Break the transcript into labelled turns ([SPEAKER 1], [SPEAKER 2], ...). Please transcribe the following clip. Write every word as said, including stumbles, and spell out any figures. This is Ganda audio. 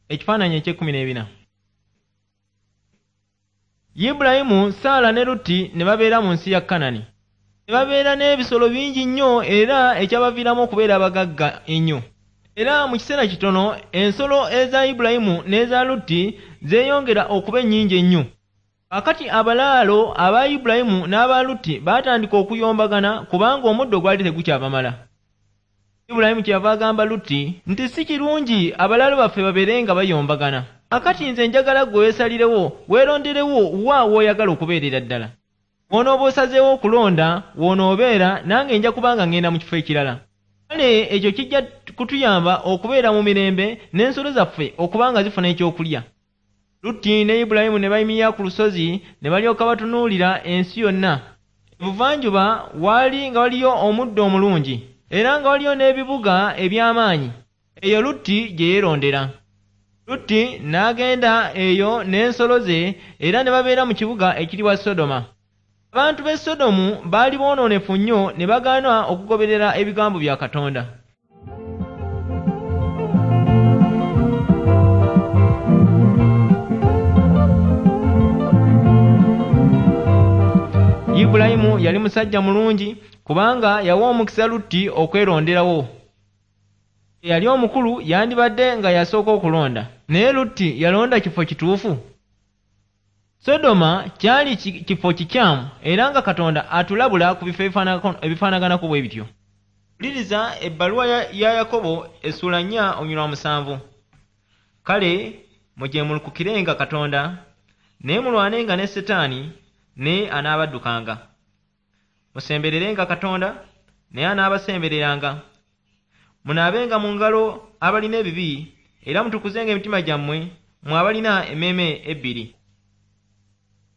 [SPEAKER 1] Ekifaananyi eky'ekkumi n'ebina. Ibulayimu, Saala ne Lutti ne babeera mu nsi ya Kanani. Ne babeera n'ebisolo bingi nnyo era ekyabaviiramu okubeera abagagga ennyo. Era mu kiseera kitono ensolo eza Ibulayimu n'eza Lutti zeeyongera okuba ennyingi ennyo. Kaakati abalaalo aba Ibulayimu n'aba Lutti baatandika okuyombagana kubanga omuddo gwali tegukyabamala. Ibulayimu kyeyava agamba Lutti nti si kirungi abalaalo baffe babeere nga bayombagana. Kaakati nze njagala ggwe weesalirewo, weeronderewo wa w'oyagala okubeerera ddala. W'onooba osazeewo okulonda, w'onoobeera, nange nja kubanga ŋŋenda mu kifo ekirala. Kale ekyo kijja kutuyamba okubeera mu mirembe n'ensolo zaffe okuba nga zifuna ekyokulya. Lutti ne Ibulayimu ne bayimirira ku lusozi ne balyoka batunuulira ensi yonna. Ebuvanjuba waali nga waliyo omuddo omulungi era nga waliyo n'ebibuga eby'amaanyi. Eyo Lutti gye yeerondera. Lutti n'agenda eyo n'ensolo ze era ne babeera mu kibuga ekiriwa Sodoma. Abantu b'e Sodomu baali boonoonefu nnyo ne bagaana okugoberera ebigambo bya Katonda. Ibulayimu yali musajja mulungi kubanga yawa omukisa Lutti okweronderawo. Eyali omukulu yandibadde nga yasooka okulonda, naye Lutti yalonda kifo kituufu. Sodoma kyali kifo kikyamu era nga Katonda atulabula ku bifo ebifaanaganako bwe bityo. Wuliriza ebbaluwa ya Yakobo essuula nnya olunyiriri musanvu. Kale mujeemulukukirenga Katonda, naye mulwanenga ne Setaani, naye anaabaddukanga. Musembererenga Katonda, naye anaabasembereranga. Munaabenga mu ngalo abalina ebibi, era mutukuzenga emitima gyammwe, mmwe abalina emmeeme ebbiri.